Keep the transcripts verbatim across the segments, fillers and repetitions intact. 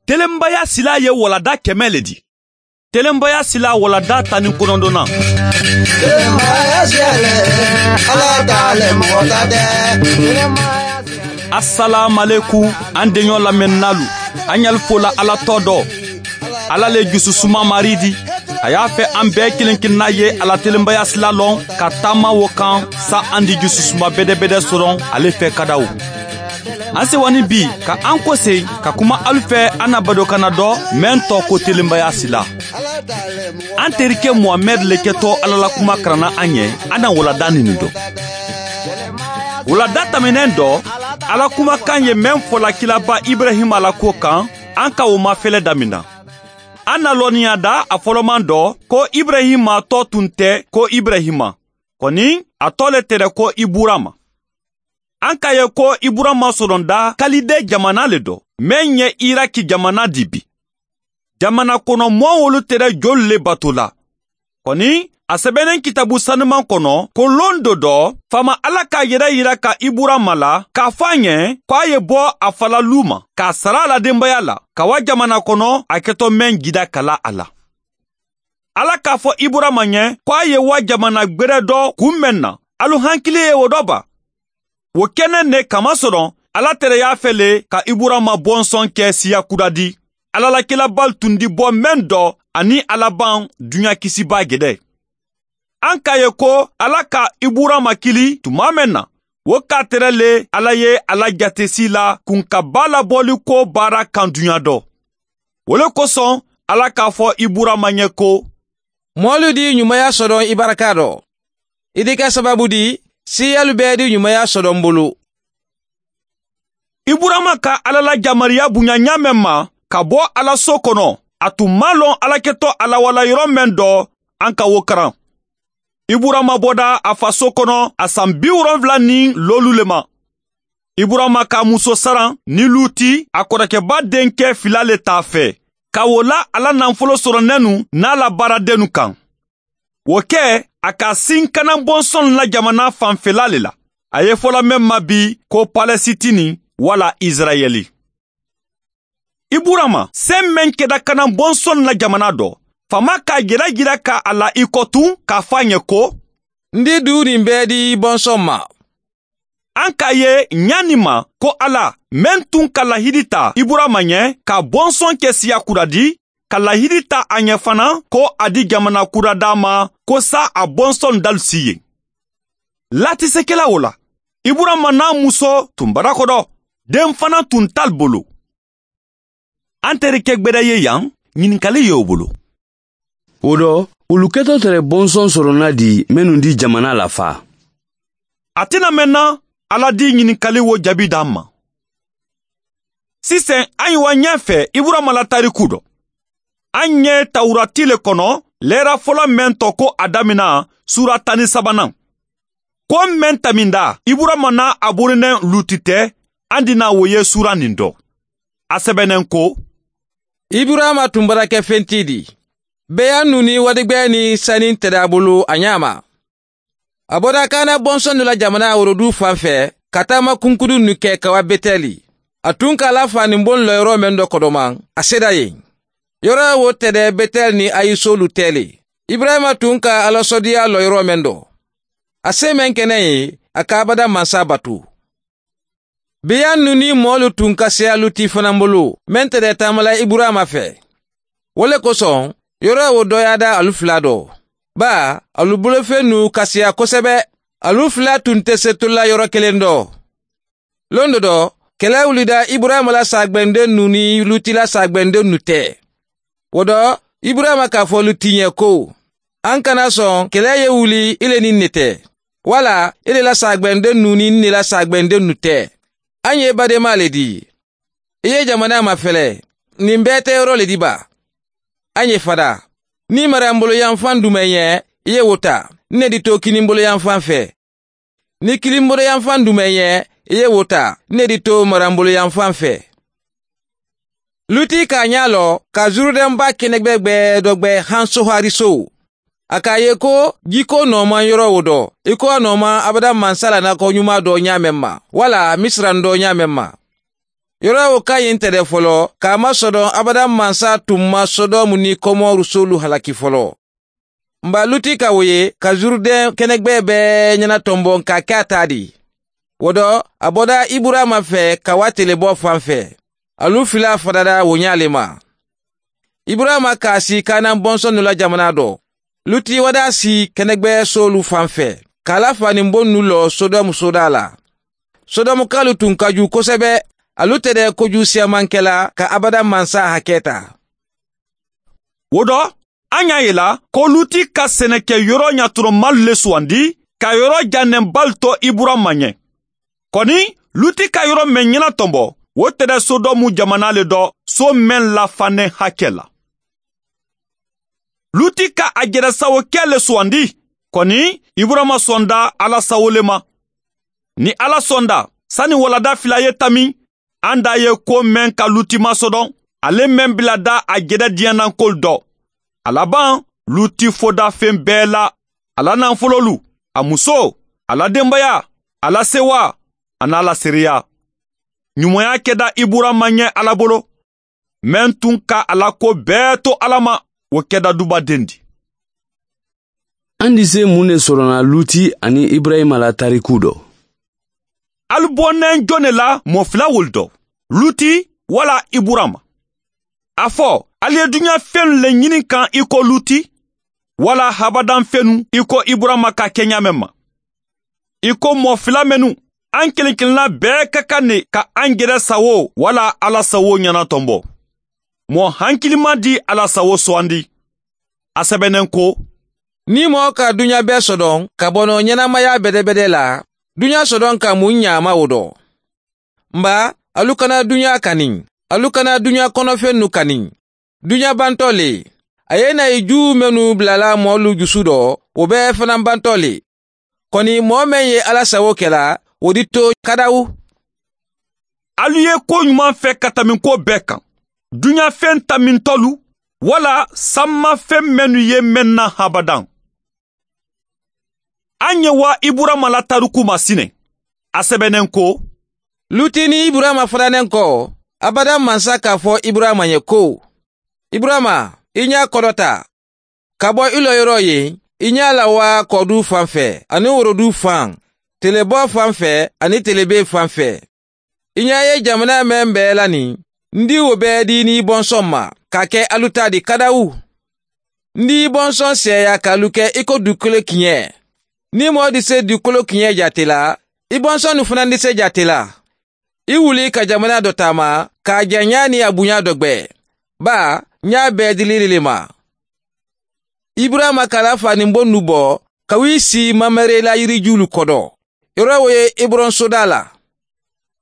Telenbaya silaa ye walanda kɛmɛ le di. Telenbaya silaa walanda tan ni kɔnɔntɔnnan. Telenbaya silaa le, ala ta le mɔgɔ ta tɛ. Asalaamalekum, an deɲɔ lamɛnninaalu, an ɲali fola ala tɔ dɔ. Ala le jususuma maridi, a y'a fɛ an bɛɛ kelen kelenna ye ala telenbaya sila lɔn ka taama wo kan, sa an di jususuma bedebede sɔrɔ ale fɛ kadaw. An sewa ni bi ka an kose ka kuma alu fɛ, an na badokanna dɔ mɛn tɔ ko telenbaya sila. An terikɛ muhamɛd le kɛtɔ ala la kuma karanna an ye. An na walada nini dɔn. Walada tɛmɛnen dɔ, ala kumakan ye mɛn fɔla kilaba ibrahima la ko kan. An ka o mafɛlɛ damina. An na lɔnniya da a fɔlɔman dɔ ko ibrahima tɔ tun tɛ ko ibrahima, kɔni a tɔ le tɛrɛ ko iburama. An ka ye ko iburama sɔrɔnda kalide jamana le dɔ, mɛn ye iraki jamana di bi. Jamana kɔnɔ mɔɔ wolu tɛrɛ jolu le bato la. Kɔni a sɛbɛnnen kitabu sanuman kɔnɔ ko lon do dɔ, faama ala ka yɛrɛ yira ka iburama la k'a fɔ a ɲɛ ko a ye bɔ a fa la lu ma k'a sara a la denbaya la, ka wa jamana kɔnɔ a kɛtɔ mɛn jida kala a la. Ala k'a fɔ iburama ɲɛ ko a ye wa jamana gberɛ dɔ kunmɛn na. Alu hankili ye o dɔ ba? Wo kɛnɛ ne kamasɔrɔ ala tɛrɛ y'a fɛ le ka iburama bɔnsɔn kɛ siya kura di. Ala la kilabalu tun di bɔ mɛn dɔ ani alaban duɲa kisiba gɛdɛ. An ka ye ko ala ka iburama kili tuma mɛn na, wo k'a tɛrɛ le ala ye ala jatesi la kun ka baa labɔli ko baara kan duɲa dɔ. Wo le kosɔn, ala k'a fɔ iburama ɲɛ ko, moolu di ɲumaya sɔdɔn i barika dɔ, i di ka sababu di siiyalu bɛɛ di ɲumaya sɔdɔn bulu. Iburama ka ala la jamariya buɲa ɲaamɛ ma ka bɔ ala so kɔnɔ, a tun maŋ lɔn ala ketɔ a la wala yɔrɔ mɛn dɔ. An ka wo karan. Iburama bɔda a fa so kɔnɔ a san bi wolonwula ni lolu le ma. Iburama ka muso saran ni luti a kɔrɔkɛba denkɛ fila le t'a fɛ, ka wo la ala nafolo sɔrɔnɛnu n'a la baaradennu kan. Wo kɛ, a ka sin kana bɔnsɔn la jamana fanfela le la. A ye fɔla mɛn ma bi ko palɛsitini, wala isirayɛli. Iburama sen mɛn kɛda kana bɔnsɔn la jamana dɔ, faama k'a jira jira ka a la i kɔtun k'a fɔ a ɲɛ ko, n di du nin bɛɛ di bɔnsɔn ma. An k'a ye ɲa nin ma ko ala, mɛn tun ka lahidi ta iburama ɲɛ ka bɔnsɔn kɛ siya kura di, ka lahidi ta a ɲɛ fana ko a di jamana kura d'a ma, ko sa a bɔnsɔn dalu si yen. Latisekɛla wo la, iburama n'a muso tun bara kɔdɔ, den fana tun t'alu bolo. An terikɛ gberɛ ye yan, ɲininkali ye o bolo. Wo dɔ, wolu ketɔ tɛrɛ bɔnsɔn sɔrɔnna di mennu di jamana la fa? A tena mɛn na ala di ɲininkali wo jaabi d'an ma. Sisan an ye wa ɲɛ fɛ iburama la tariku dɔ. An ye tawurati le kɔnɔ, lɛra fɔlɔ mɛn tɔ ko a damina, sura tan ni sabanan. Ko mɛn taminda iburama n'a a borinɛ luti tɛ, an dina wo ye sura nin dɔ. A sɛbɛnnen ko, iburama tun bara kɛ fenti di, beya nu ni wadigbɛ ni sani tɛ d'a bolo a ɲaama. A bɔra kaana bɔnsɔn dɔ la jamana worodu fan fɛ, ka taama kunkudunnu kɛ ka wa betɛli. A tun ka ala faanin bon lɔyɔrɔ mɛn dɔ kɔdɔman, a seda yen. Yɔrɔ wo tɛdɛ betɛli ni ayi solu tɛ le. Iburahima tun ka alasɔdiya lɔyɔrɔ mɛn dɔ, a se mɛn kɛnɛ ye, a ka abada mansa batu. Biyannu ni moolu tun ka seya luti fanaŋ bulu, meŋ te de taamala iburayima fɛ. Wo le kosoŋ, yoro ye wo dooyaada alu fula do. Baa, alu bolofennu ka seya kosebe. Alu fula tun te setula yoro keleŋ do. Londo do, kele wulida iburayima la saagbendennu ni luti la saagbendennu te. Wo do, iburayima ka fo luti ɲe ko, an kana soŋ kele ye wuli i le niŋ ne te, walla i le la saagbendennu niŋ ne la saagbendennu te. An ye bademaa le di. I ye jamanaa mafele, niŋ bee te yoro le di baa? An ye fadaa. Niŋ marambuloyanfaŋ dume ye, i ye wo taa, ne di to kinimboloyanfaŋ fe. Niŋ kilimboloyanfaŋ dume ye, i ye wo taa, ne di to marambuloyanfaŋ fe. Luti ka a ɲaa loo, ka zurudɛnbaa kenegbegbe dɔ gbe hansohariso. A ka a ye ko, jiko noo maŋ yoro wo do, i ko a noo maŋ abada mansa la nako ɲumaa do ɲaameŋ ma, walla misiraŋ do ɲaameŋ ma. Yoro wo ka ñiŋ tede foloo ka a maŋ sodoŋ abadaŋ mansa tuŋ maŋ sodomu niŋ komoru soolu halaki foloo. M be a luti ka wo ye ka zurudeŋ kenegbee bee ñana tomboŋ ka a ke a taa di. Wo do a boda iburayima fee ka wo a teleboo faŋ fee. Alu filaa fadada wo ñaa le ma. Iburayima ka a sii kaanaŋ bonsonnu la jamanaa do. Luti wada sii kenegbee soolu faŋ fee ka a la faaniŋ bonnu loo sodomu soodaa la. Sodomukaalu tuŋ ka juu kosebe. Alu tede kojuu siyamaŋ ke la ka abadaŋ mansa hakee taa. Wo do a ñaa ye la ko luti ka seneke yoro ñatoromaalu le suwandi ka yoro jannenbaalu to iburayima ñe. Koni luti ka yoro meŋ ñana tombo wo tede sodomu jamanaa le do soo meŋ la faneŋ hakee la. Luti ka a jere sawo kee le suwandi. Koni iburayima sonda alla sawo le ma. Niŋ alla sonda sani waladaa filaa ye tammi a nda a ye kuwo meŋ ka luti masodoŋ ale meŋ bila daa a jedediyaanankoolu do. A labaŋ luti foda feŋ bee la, a la naafuloolu, a musoo, a la denbayaa, a la sewaa, aniŋ a la seereyaa. Ñumoyaa keda iburayima ñe alla bolo. Meŋ tuŋ ka a la kuwo bee to alla ma wo keda duba dendi. An dise muŋ ne soronaŋ luti aniŋ iburayima la tarikuu do? Ali boneŋ jone la moo fula wolu do, luti walla iburayima? A fo ali ye duñaa fennu le ñini kaŋ i ko luti, walla habadaŋ fennu i ko iburayima ka ke ñaameŋ ma? I ko moo fula mennu, an keleŋ keleŋ la bee ka kaŋ ne ka an jere sawo walla alla sawo ñana tombo. Moo hankilimaa di a la sawo sowandi. A sebeneŋ ko, niŋ moo ka duñaa bee sodoŋ ka bo noo ñenemayaa bedebede la, duñaa sodoŋ ka muŋ ñaama wo do. M baa, alu kana duñaa kaniŋ. Alu kana duñaa kono fennu kaniŋ. Duñaa bantoo le. A ye i naa i juu mennu bulala moolu jusu do, wo bee fanaa bantoo le. Koni moo meŋ ye alla sawo ke la, wo di too kadawu. Alu ye kuwo ñumaŋ fee ka tammi kuwo bee kaŋ, duñaa feŋ tammintolu, walla samma feŋ mennu ye meŋ naŋ habadaŋ. A ñe waa iburayima la tarikuu ma sine. A sebeneŋ ko, luti niŋ iburayima fananeŋ ko, abadaŋ mansa ka a fo iburayima ye ko, iburayima, i ñaa kodota. Ka bo i loyiroo ye, i ñaa la waa kooduu faŋ fee aniŋ woroduu faŋ, teleboo faŋ fee aniŋ telebee faŋ fee. I ñaa ye jamanaa meŋ bee la niŋ, n dii wo bee dii niŋ i bonsoŋ ma ka a ke alu taa di kadawu. N dii i bonsoŋ seeyaa ka alu ke i ko dukolo kiñee. Niŋ moo dise dukolo kiñee jaati la, i bonsonnu fanaa dise jaati la. I wuli ka jamanaa do taama, ka a jaŋyaa niŋ a buñaa do gbee. Baa, ñaa bee dili i le ma. Iburayima ka a la faaniŋ bonnu bo ka wii sii mamere la yirijuulu kodo. Yoro wo ye heburoŋ sodaa la.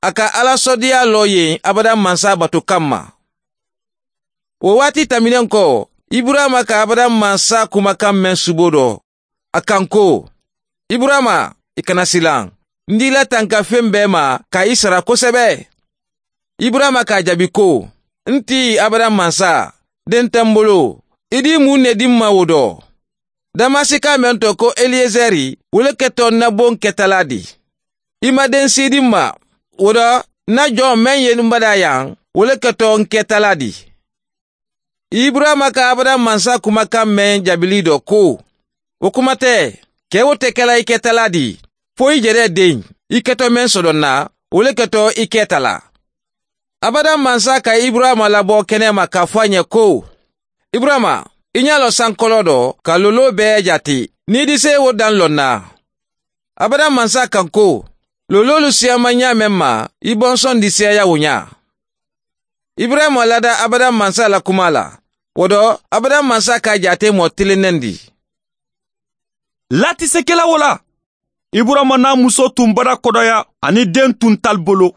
A ka alla soodeyaa loo yen abadaŋ mansa batu kamma. Wo waati tammineŋ ko, iburayima ka abadaŋ mansa kumakaŋ meŋ suboo do, a kaŋ ko, iburayima, i kana silaŋ. N dii la tanka feŋ bee ma ka i sara kosebe. Iburayima ka a jaabi ko, n ti abadaŋ mansa, deŋ te m bulu. I dii muŋ ne di m ma wo do? Damasika meŋ to ko eliyezeri, wo le keto n na boŋ ketalaa di. I ma deŋ sii di m ma. Wo do, n na joŋ meŋ ye n badaa yaŋ, wo le keto n ketalaa di. Iburayima ka abadaŋ mansa kumakaŋ meŋ jaabili do ko, wo kuma te. Kee wo te ke la i ketalaa di, fo i jeree deŋ, i keto meŋ sodoŋ na, wo le keto i ketalaa. Abadaŋ mansa ka iburayima labo kene ma ka fo a ñe ko, iburayima, i ñaa loŋ sankoloo do ka looloo bee jaati, niŋ i dise wo daŋ loŋ na. Abadaŋ mansa kaŋ ko, looloolu siyaŋ maŋ ñaameŋ ma, i bonsoŋ di seeya wo ñaa. Iburayima lada abadaŋ mansa la kumaa la. Wo do, abadaŋ mansa ka a jaate moo tilinneŋ di. Laatisekela wo la, iburayima naa musoo tuŋ bada kodoya aniŋ deŋ tuŋ tali bolo.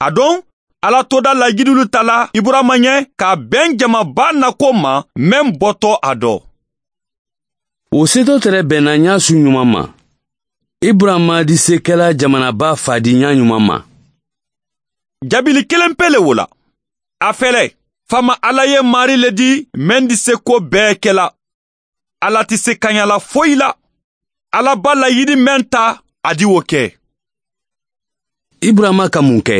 Aduŋ, alla toodaa layiduulu tala iburayima ñe ka a beŋ jama baa nakuwo ma meŋ boto a do. Wo seetoo tere benna ñaasu ñumaŋ ma. Iburayima disekela jamana baa faadiiñaa ñumaŋ ma. Jaabili keleŋ pee le wo la. A fele, faama alla ye maarii le di meŋ di sekuwo bee ke la. Alla ti sekaña la foyi la. Alla baa la yidi meŋ ta, a di wo ke. Iburayima ka muŋ ke?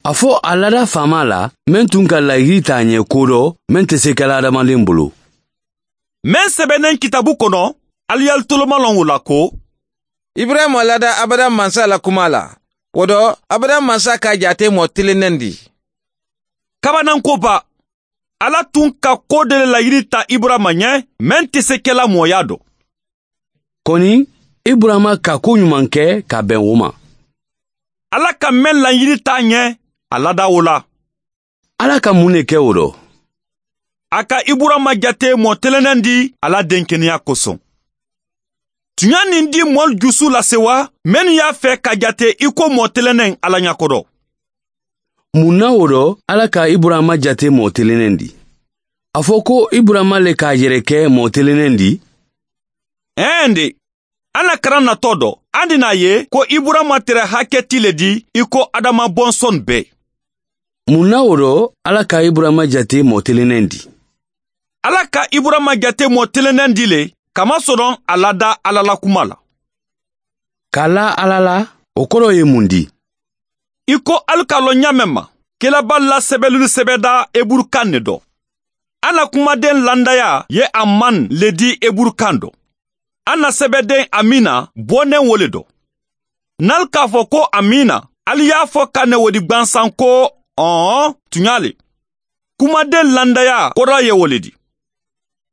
A fo a lada faamaa la, meŋ tun ka layiri taa a ñe kodoo meŋ te se kela hadamadiŋ bulu. Meŋ sebeneŋ kitaabu kono, ali ye ali toloma loŋ wo la ko iburayima lada abadaŋ mansa la kumaa la. Wo do, abadaŋ mansa ka a jaate moo tilinneŋ di. Kabananko ba, alla tun ka koo doo le layiri taa iburayima ñe, meŋ te se kela mooyaa do. Koni, iburayima ka kuu ñumaŋ ke ka a beŋ wo ma. Alla ka meŋ layiri taa a ñe, a lada wo la. Alla ka muŋ ne ke wo do? A ka iburayima jate moo telendeŋ di a la denkeneyaa kosoŋ. Tuñaa niŋ dii moolu jusu lase wa, mennu ye a fee ka jate i ko moo telendeŋ alla ñakodo? Muŋ na wo do alla ka iburayima jate moo telendeŋ di? A fo ko iburayima le ka a yere ke moo telendeŋ di? Eende, a na karaŋ natoo do, a ndi naa ye ko iburayima tere hake ti le di i ko adama bonsoni bee. Muŋ na wo do alla ka iburayima jate moo telendeŋ di? Alla ka iburayima jate moo telendeŋ di le, kamasoroŋ a lada alla la kuma la. Ka a la alla la, wo koroo ye muŋ di? I ko ali ka a loŋ ñaameŋ ma, kelabaalu la sebelulu sebedaa heburu kaŋ ne do. A na kumadeŋ landayaa ye a maŋ le di heburu kaŋ do. A na sebedeŋ amiina booneŋ wo le do. Niŋ ali ka a fo ko amiina, ali ye a fo ka ne wo di gbansaŋ ko, ɔɔn, tuñaa le. Kumadeŋ landayaa koroo ye wo le di.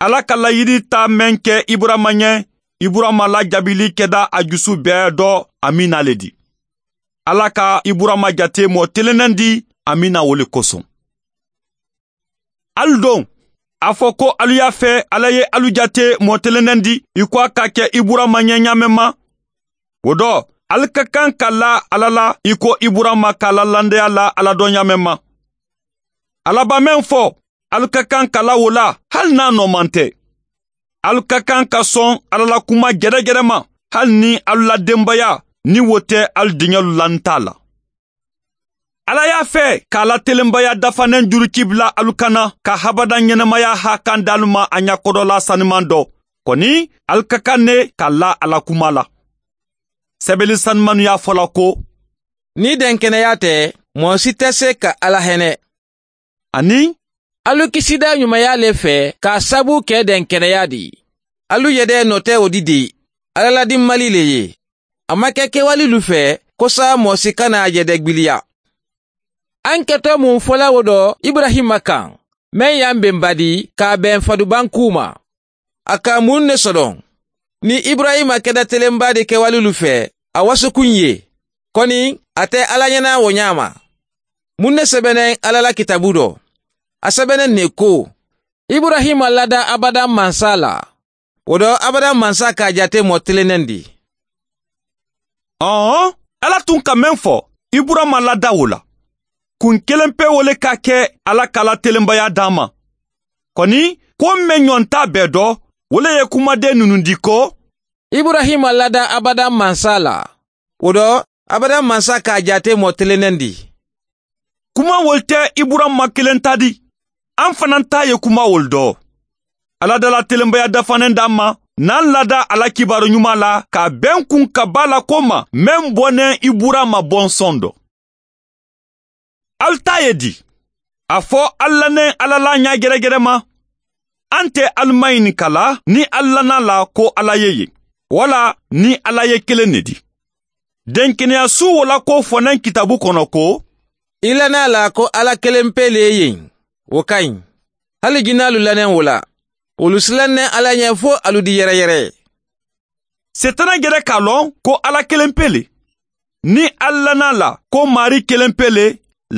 Alla ka layiri taa meŋ ke iburayima ñe, iburayima la jaabili keda a jusu bee do amiina le di. Alla ka iburayima jate moo telendeŋ di amiina wo le kosoŋ. Ali doŋ, a fo ko alu ye a fee alla ye alu jate moo telendeŋ di i ko a ka ke iburayima ñe ñaameŋ ma. Wo do, ali ka kaŋ ka laa alla la i ko iburayima ka a la landayaa laa alla do ñaameŋ ma. Alla ba meŋ fo, ali ka kaŋ ka laa wo la, hali niŋ a noo maŋ te. Ali ka kaŋ ka soŋ alla la kuma jedejede ma, hali niŋ alu la dembayaa niŋ wo te alu diŋolu lanta a la. Alla ye a fee ka a la telembayaa dafaneŋ juruki bula alu kana ka habadaŋ ñenemayaa haakandi alu ma a ñakodolaa sanimaŋ do. Koni, ali ka kaŋ ne ka laa a la kumaa la. Sebeli sanimannu ye a fo la ko, niŋ i denkeneyaa te, moo si te se ka alla hene. Aniŋ, alu kisidaa ñumayaa le fee ka a sabu ke denkeneyaa di. Alu yedee noo te wo di de, alla la dimmalii le ye. A maŋ ke kewalilu fee kosaa moo si kana a yedee gbiliya. A ŋ ketoo muŋ fo la wo do iburayima kaŋ, meŋ ye a beŋ badi ka a beŋ fadubaŋ kuuma? A ka muŋ ne sodoŋ? Niŋ iburayima keda telembaadi kewalilu fee, a wasukuŋ ye. Koni, a te alla ñanaa wo ñaama. Muŋ ne sebeneŋ alla la kitaabu do? A sebeneŋ ne ko, iburayima lada abadaŋ mansa la. Wo do, abadaŋ mansa ka a jaate moo telendeŋ di. Ɔɔn, alla tun ka meŋ fo, iburayima lada wo la. Kuŋ keleŋ pee wo le ka ke alla ka a la telembayaa daa ma. Koni, ko meŋ ñoŋ taa bee do, wo le ye kumadeŋ nunundi ko, iburayima lada abadaŋ mansa la. Wo do, abadaŋ mansa ka a jaate moo telendeŋ di. Kumaawolu te iburayima keleŋ taa di. A ŋ fanaa taa ye kumaawolu do. Alla dala telembayaa dafaneŋ daa ma, niŋ a lada a la kibaaru ñumaa la ka a beŋ kuŋ ka baa la ko ma meŋ boneŋ iburayima bonsoŋ do. Ali taa ye di? A fo ali la neŋ alla la ñaa geregerema. A nte ali maŋ ñininka la niŋ ali la naa la ko alla ye yen, walla niŋ alla ye keleŋ ne di? Denkeneyaa suu wo la ko fo naŋ kitaabu kono ko, i la naa la ko alla keleŋ pee le ye yen. Wo ka ɲi. Hali jinnaalu la neŋ wo la, wolu si la neŋ alla ñe fo alu di yereyere. Seetana jere ka a loŋ ko alla keleŋ pee le. Niŋ ali la naa la ko maarii keleŋ pee le,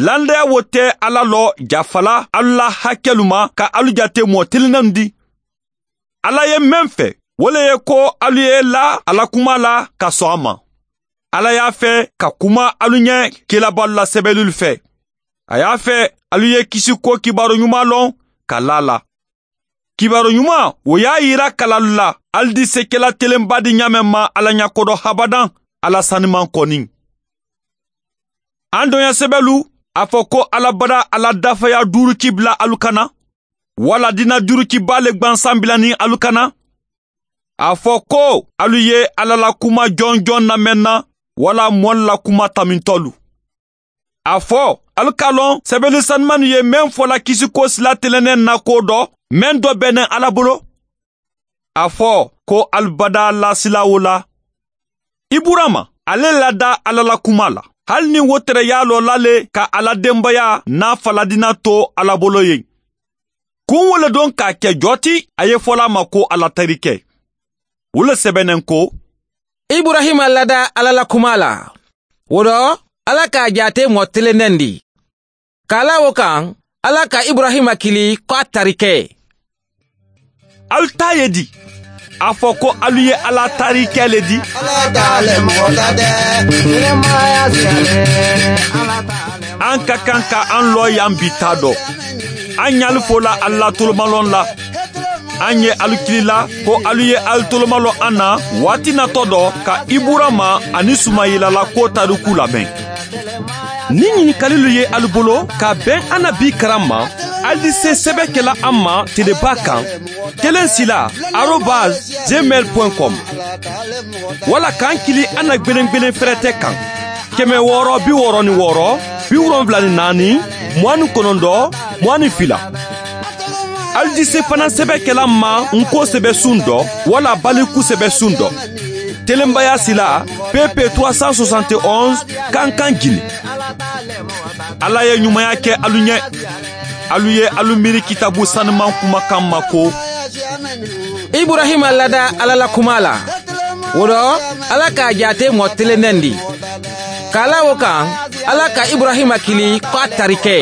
landayaa wo te alla loo jafala alu la hakelu ma ka alu jate moo tilinanu di. Alla ye meŋ fe, wo le ye ko alu ye i la a la kumaa la ka soŋ a ma. Alla ye a fe ka kuma alu ñe kilabaalu la sebelulu fe. A ye a fe alu ye kisi ko kibaaru ñumaa loŋ ka laa a la. Kibaaru ñumaa wo ye a yira kalalu la alu di se kela telenbaa di ñaameŋ ma alla ñakodo habadaŋ. Alla sanimaŋ koniŋ. Aŋ doɲa sebelu, a fo ko alla bada a la dafeya duuru ci bula alu kana, walla dina duuru ci baa le gbansaŋ bila niŋ alu kana? A fo ko alu ye alla la kuma joŋ joŋ na meŋ na, walla moolu la kuma tamintolu. A fo Ali ka a loŋ sebelisanimannu ye meŋ fo la kisiko sila telenneŋ na ko do meŋ do be neŋ alla bulu. A fo ko ali badaa lasilaa wo la. Iburama ale lada alla la kumaa la, hali niŋ wo tereyaaloo la le ka a la dembeyaa naa faladina to alla bolo ye. Kuŋ wo le doŋ ka a ke joo ti a ye fo la a ma ko a la tarike. Wo le sebe neŋ ko, iburahima lada alla la kumaa la, wo do alla ka a jaatee moo telenneŋ di. Kaalaa wo kaŋ, alla ka iburahima kili ko a tarike. Ali taa ye di? A fo ko alu ye alla tarike le di. An ka kaŋ ka an loo yaŋ bi taa do. An ɲaali fo la alla tolomaloŋ la. An ye alu kili la ko alu ye alu tolomaloŋ an na waati natoo do ka iburama aniŋ sumayila la koo tarikuu labeŋ. Niŋ ɲinikalilu ye alu bolo ka beŋ a na bii karaŋ ma, alu di se sebe ke la a ma tilebaa kaŋ, keleŋ sila arobas gmail point com, walla ka n kili a na gbelengbelen ferete kaŋ, keme wooro bi wooro ni wooro, bi wolonwula ni naani, muwaani konondoo, muwaani fila. Alu di se fanaŋ sebe ke la n ma n ko sebe suŋ do, walla baliku sebe suŋ do. Telenbaya sila, pepe trois cent soixante et onze, kankan gini. Alla ye ɲumaya ke alu ɲe. Alu ye alu miiri kitaabu sanimaŋ kumakan ma ko, iburahima lada alla la kumaa la, wo do alla ka a jaatee moo telenneŋ di. Kaalaa wo kaŋ, alla ka iburahima kili ko a tarike.